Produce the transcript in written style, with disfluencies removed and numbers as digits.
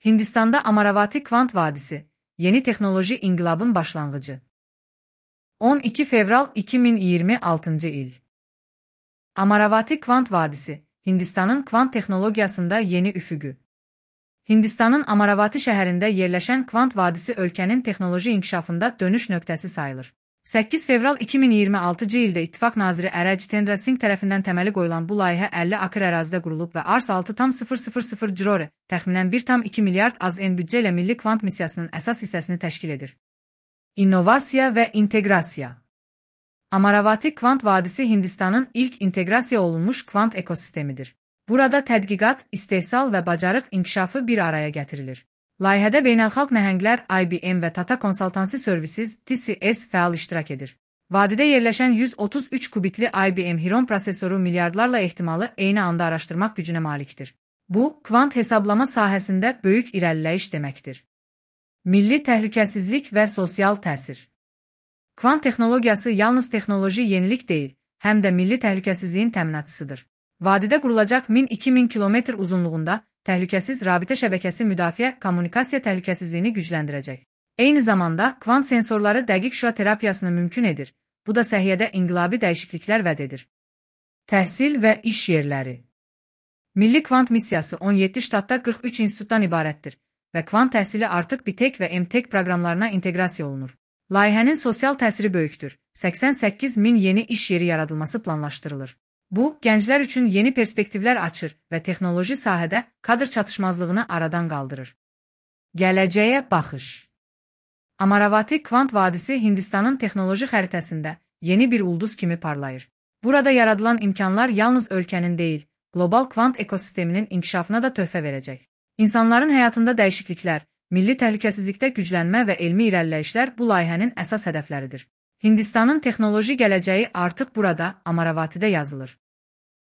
Hindistanda Amaravati Kvant Vadisi, yeni teknoloji inqilabın başlanğıcı. 12 fevral 2026 il. Amaravati Kvant Vadisi, Hindistanın kvant texnologiyasında yeni üfüqü. Hindistanın Amaravati şəhərində yerləşən Kvant Vadisi ölkənin texnoloji inkişafında dönüş nöqtəsi sayılır. 8 fevral 2026 ildə İttifaq naziri Ərəc Tendra Singh tərəfindən təməli qoyulan bu layihə 50 akr ərazidə qurulub və Ars 6,000 crore, təxminən 1,2 milyard AZN büdcə ilə Milli Kvant Missiyasının əsas hissəsini təşkil edir. İnnovasiya və inteqrasiya. Amaravati Kvant Vadisi Hindistanın ilk inteqrasiya olunmuş kvant ekosistemidir. Burada tədqiqat, istehsal və bacarıq inkişafı bir araya gətirilir. Layihədə beynəlxalq nəhənglər IBM və Tata Consultancy Services (TCS) fəal iştirak edir. Vadidə yerləşən 133 kubitli IBM Heron prosesoru milyardlarla ehtimalı eyni anda araşdırmaq gücünə malikdir. Bu, kvant hesablama sahəsində böyük irəliləyiş deməkdir. Milli təhlükəsizlik və sosial təsir. Kvant texnologiyası yalnız texnoloji yenilik deyil, həm də milli təhlükəsizliyin təminatçısıdır. Vadidə qurulacaq 1000-2000 kilometr uzunluğunda təhlükəsiz rabitə şəbəkəsi müdafiə kommunikasiya təhlükəsizliyini gücləndirəcək. Eyni zamanda, kvant sensorları dəqiq şüa terapiyasını mümkün edir. Bu da səhiyyədə inqilabi dəyişikliklər vəd edir. Təhsil və iş yerləri. Milli Kvant Missiyası 17 ştatda 43 institutdan ibarətdir və kvant təhsili artıq BTech və MTech proqramlarına inteqrasiya olunur. Layihənin sosial təsiri böyükdür. 88 min yeni iş yeri yaradılması planlaşdırılır. Bu, gənclər üçün yeni perspektivlər açır və texnoloji sahədə kadr çatışmazlığını aradan qaldırır. Gələcəyə baxış. Amaravati Kvant Vadisi Hindistanın texnoloji xəritəsində yeni bir ulduz kimi parlayır. Burada yaradılan imkanlar yalnız ölkənin deyil, qlobal kvant ekosisteminin inkişafına da töhfə verəcək. İnsanların həyatında dəyişikliklər, milli təhlükəsizlikdə güclənmə və elmi irəliləyişlər bu layihənin əsas hədəfləridir. Hindistanın texnoloji gələcəyi artıq burada, Amaravatidə yazılır.